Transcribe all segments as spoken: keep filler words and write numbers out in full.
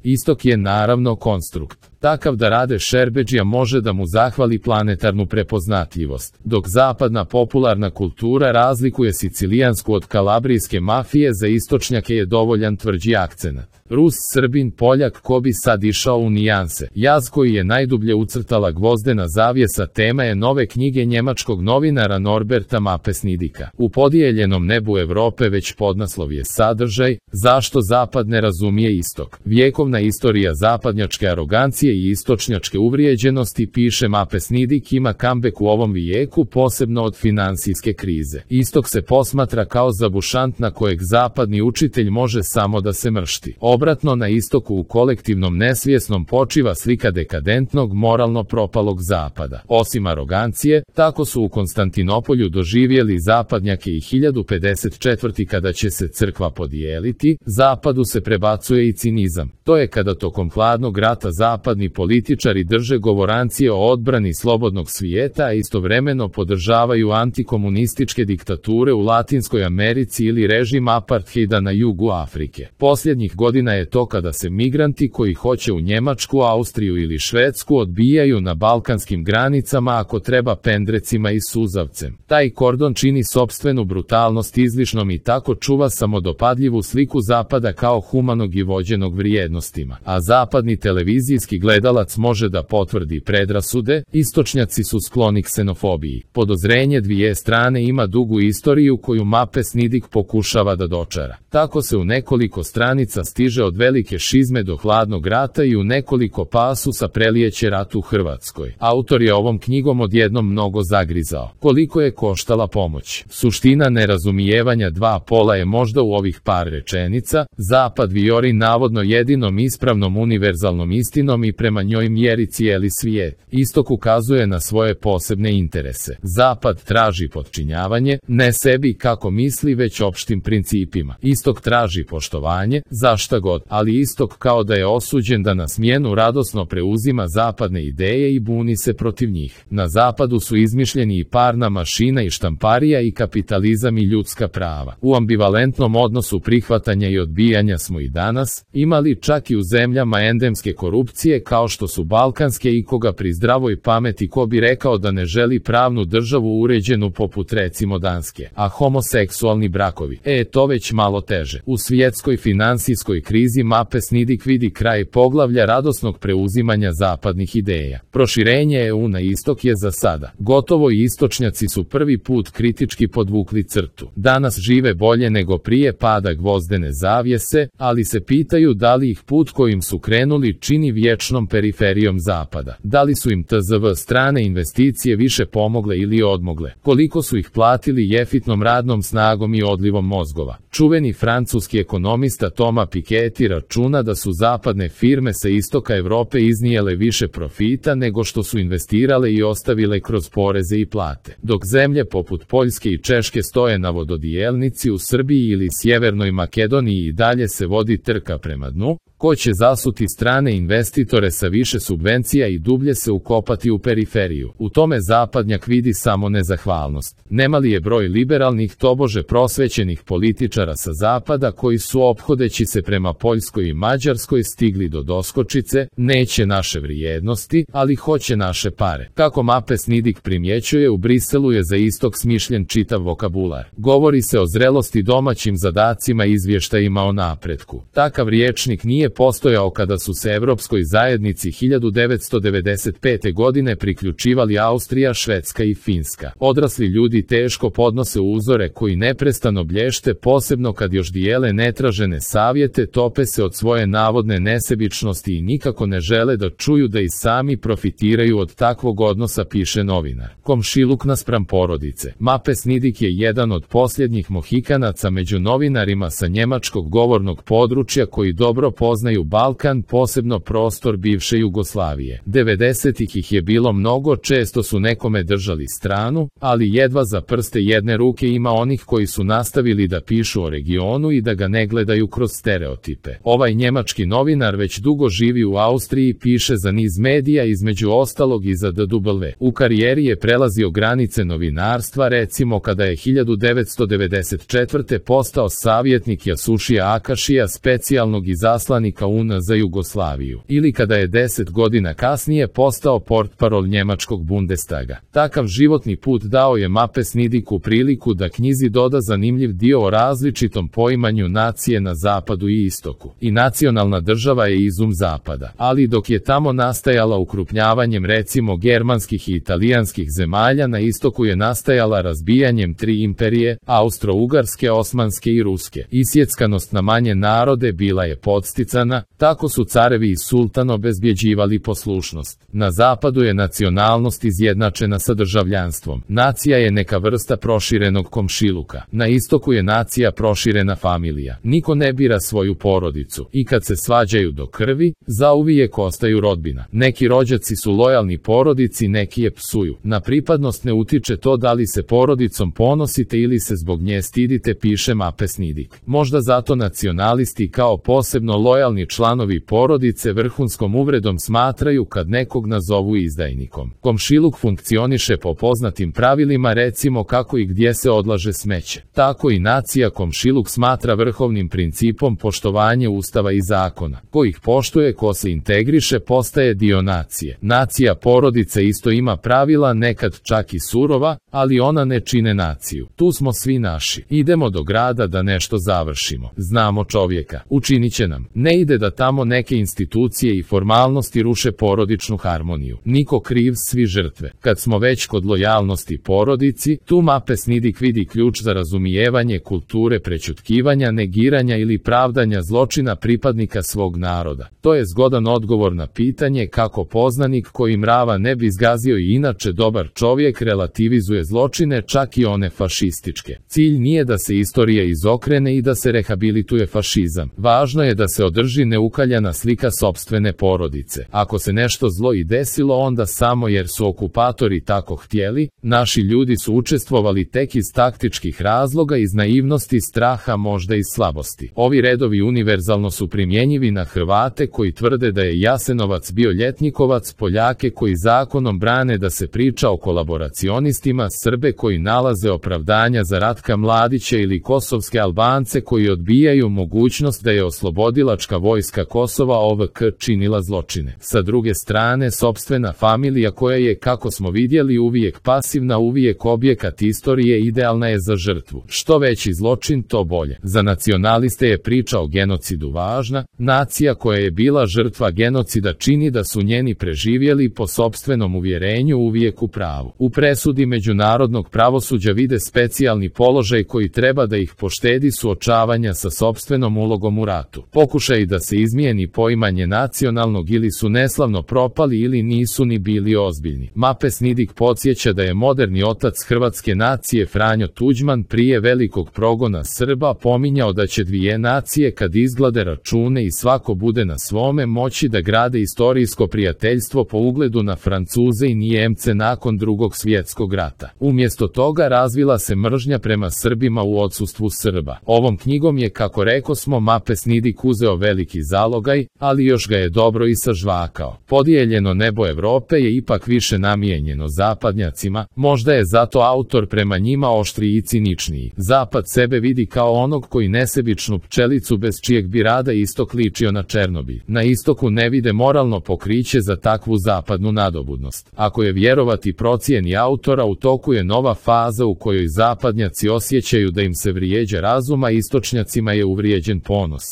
Istok je naravno konstrukt, takav da Rade Šerbedžija može da mu zahvali planetarnu prepoznatljivost, dok zapadna popularna kultura razlikuje sicilijansku od kalabrijske mafije, za istočnjake je dovoljan tvrđi akcenat. Rus, Srbin, Poljak, ko bi sad išao u nijanse. Jaz koji je najdublje ucrtala gvozdena zavjesa tema je nove knjige njemačkog novinara Norberta Mapes-Nidicka. U podijeljenom nebu Evrope već podnaslov je sadržaj, zašto Zapad ne razumije istok. Vjekovna istorija zapadnjačke arogancije i istočnjačke uvrijeđenosti, piše Mapes-Nidick, ima comeback u ovom vijeku, posebno od finansijske krize. Istok se posmatra kao zabušant na kojeg zapadni učitelj može samo da se mršti. Obratno, na istoku u kolektivnom nesvjesnom počiva slika dekadentnog, moralno propalog zapada. Osim arogancije, tako su u Konstantinopolju doživjeli zapadnjake i hiljadu pedeset četvrte. kada će se crkva podijeliti, zapadu se prebacuje i cinizam. To je kada tokom hladnog rata zapadni političari drže govorancije o odbrani slobodnog svijeta, a istovremeno podržavaju antikomunističke diktature u Latinskoj Americi ili režim apartheida na jugu Afrike. Posljednjih godina je to kada se migranti koji hoće u Njemačku, Austriju ili Švedsku odbijaju na balkanskim granicama, ako treba pendrecima i suzavcem. Taj kordon čini sopstvenu brutalnost izlišnom i tako čuva samodopadljivu sliku zapada kao humanog i vođenog vrijednostima. A zapadni televizijski gledalac može da potvrdi predrasude, istočnjaci su skloni ksenofobiji. Podozrenje dvije strane ima dugu istoriju koju Mapes-Nidick pokušava da dočara. Tako se u nekoliko stranica stiže od velike šizme do hladnog rata i u nekoliko pasusa prelijeće rat u Hrvatskoj. Autor je ovom knjigom odjednom mnogo zagrizao. Koliko je koštala pomoć? Suština nerazumijevanja dva pola je možda u ovih par rečenica. Zapad vijori navodno jedinom ispravnom univerzalnom istinom i prema njoj mjeri cijeli svijet. Istok ukazuje na svoje posebne interese. Zapad traži potčinjavanje, ne sebi kako misli, već opštim principima. Istok traži poštovanje, za šta god, ali istok kao da je osuđen da na smjenu radosno preuzima zapadne ideje i buni se protiv njih. Na zapadu su izmišljeni i parna mašina i štamparija i kapitalizam i ljudska prava. U ambivalentnom odnosu prihvatanja i odbijanja smo i danas, imali čak i u zemljama endemske korupcije kao što su balkanske, i koga pri zdravoj pameti ko bi rekao da ne želi pravnu državu uređenu poput recimo Danske. A homoseksualni brakovi, e to već malo teže. U svjetskoj finansijskoj krizi Mapes-Nidick vidi kraj poglavlja radosnog preuzimanja zapadnih ideja. Proširenje E U na istok je za sada gotovo i istočnjaci su prvi put kritički podvukli crtu. Danas žive bolje nego prije pada gvozdene zavjese, ali se pitaju da li ih put kojim su krenuli čini vječnom periferijom zapada. Da li su im T Z V strane investicije više pomogle ili odmogle? Koliko su ih platili jefitnom radnom snagom i odlivom mozgova? Čuveni francuski ekonomista Thomas Piketty računa da su zapadne firme sa istoka Evrope iznijele više profita nego što su investirale i ostavile kroz poreze i plate. Dok zemlje poput Poljske i Češke stoje na vododijelnici, u Srbiji ili Sjevernoj Makedoniji i dalje se vodi trka prema dnu, ko će zasuti strane investitore sa više subvencija i dublje se ukopati u periferiju. U tome zapadnjak vidi samo nezahvalnost. Nemali je broj liberalnih, tobože prosvećenih političara sa zapada koji su ophodeći se prema Poljskoj i Mađarskoj stigli do doskočice, neće naše vrijednosti, ali hoće naše pare. Kako Mapes-Nidick primjećuje, u Briselu je za istok smišljen čitav vokabular. Govori se o zrelosti, domaćim zadacima i izvještajima o napretku. Takav rječnik nije postojao kada su se Evropskoj zajednici hiljadu devetsto devedeset pete. godine priključivali Austrija, Švedska i Finska. Odrasli ljudi teško podnose uzore koji neprestano blješte, posebno kad još dijele netražene savjete, tope se od svoje navodne nesebičnosti i nikako ne žele da čuju da i sami profitiraju od takvog odnosa, piše novinar. Komšiluk naspram porodice. Mapes-Nidick je jedan od posljednjih mohikanaca među novinarima sa njemačkog govornog područja koji dobro poznaju Balkan, posebno prostor bivše Jugoslavije. devedesetih ih je bilo mnogo, često su nekome držali stranu, ali jedva za prste jedne ruke ima onih koji su nastavili da pišu o regionu i da ga ne gledaju kroz stereotipe. Ovaj njemački novinar već dugo živi u Austriji, piše za niz medija, između ostalog i za D W. U karijeri je prelazio granice novinarstva, recimo kada je hiljadu devetsto devedeset četvrte. postao savjetnik Jasušija Akašija, specijalnog izaslanika saveznika U N za Jugoslaviju, ili kada je deset godina kasnije postao portparol njemačkog Bundestaga. Takav životni put dao je Mapes Nidiku priliku da knjizi doda zanimljiv dio o različitom poimanju nacije na zapadu i istoku. I nacionalna država je izum zapada, ali dok je tamo nastajala ukrupnjavanjem recimo germanskih i italijanskih zemalja, na istoku je nastajala razbijanjem tri imperije, Austro-Ugarske, Osmanske i Ruske. Isjeckanost na manje narode bila je podsticana, tako su carevi i sultan obezbjeđivali poslušnost. Na zapadu je nacionalnost izjednačena sa državljanstvom. Nacija je neka vrsta proširenog komšiluka. Na istoku je nacija proširena familija. Niko ne bira svoju porodicu i kad se svađaju do krvi, zauvijek ostaju rodbina. Neki rođaci su lojalni porodici, neki je psuju. Na pripadnost ne utiče to da li se porodicom ponosite ili se zbog nje stidite, piše Mapes Nidik. Možda zato nacionalisti kao posebno lojalni članovi porodice vrhunskom uvredom smatraju kad nekog nazovu izdajnikom. Komšiluk funkcioniše po poznatim pravilima, recimo kako i gdje se odlaže smeće. Tako i nacija komšiluk smatra vrhovnim principom poštovanje ustava i zakona. Ko ih poštuje, ko se integriše, postaje dio nacije. Nacija porodice isto ima pravila, nekad čak i surova, ali ona ne čine naciju. Tu smo svi naši. Idemo do grada da nešto završimo. Znamo čovjeka. Učinit će nam. Ne ide da tamo neke institucije i formalnosti ruše porodičnu harmoniju. Niko kriv, svi žrtve. Kad smo već kod lojalnosti porodici, tu Mapes Nidik vidi ključ za razumijevanje kulture prećutkivanja, negiranja ili pravdanja zločina pripadnika svog naroda. To je zgodan odgovor na pitanje kako poznanik koji mrava ne bi zgazio i inače dobar čovjek relativizuje zločine, čak i one fašističke. Cilj nije da se istorija izokrene i da se rehabilituje fašizam. Važno je da se održi neukaljana slika sopstvene porodice. Ako se nešto zlo i desilo, onda samo jer su okupatori tako htjeli. Naši ljudi su učestvovali tek iz taktičkih razloga, iz naivnosti, straha, možda iz slabosti. Ovi redovi univerzalno su primjenjivi na Hrvate koji tvrde da je Jasenovac bio ljetnikovac, Poljake koji zakonom brane da se priča o kolaboracionistima, Srbe koji nalaze opravdanja za Ratka Mladića ili kosovske Albance koji odbijaju mogućnost da je oslobodilačka vojska Kosova O V K činila zločine. Sa druge strane, sopstvena familija koja je, kako smo vidjeli, uvijek pasivna, uvijek objekat istorije, idealna je za žrtvu. Što veći zločin, to bolje. Za nacionaliste je priča o genocidu važna. Nacija koja je bila žrtva genocida čini da su njeni preživjeli po sopstvenom uvjerenju uvijek u pravu. U presudi međunarodnog pravosuđa vide specijalni položaj koji treba da ih poštedi suočavanja sa sopstvenom ulogom u ratu. Pokušaj da se izmijeni poimanje nacionalnog ili su neslavno propali ili nisu ni bili ozbiljni. Mapes Nidik podsjeća da je moderni otac hrvatske nacije Franjo Tuđman prije velikog progona Srba pominjao da će dvije nacije kad izglade račune i svako bude na svome moći da grade istorijsko prijateljstvo po ugledu na Francuze i Nijemce nakon drugog svjetskog rata. Umjesto toga razvila se mržnja prema Srbima u odsustvu Srba. Ovom knjigom je, kako rekosmo, Mapes Nidik uzeo veliki zalogaj, ali još ga je dobro i sažvakao. Podijeljeno nebo Evrope je ipak više namijenjeno zapadnjacima, možda je zato autor prema njima oštriji i ciničniji. Zapad sebe vidi kao onog koji nesebičnu pčelicu bez čijeg bi rada istok ličio na Černobilj. Na istoku ne vide moralno pokriće za takvu zapadnu nadobudnost. Ako je vjerovati procjeni autora, u toku je nova faza u kojoj zapadnjaci osjećaju da im se vrijeđa razum, a istočnjacima je uvrijeđen ponos.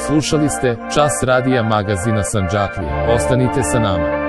Slušali ste Čas radija magazina Sandžaklija. Ostanite sa nama.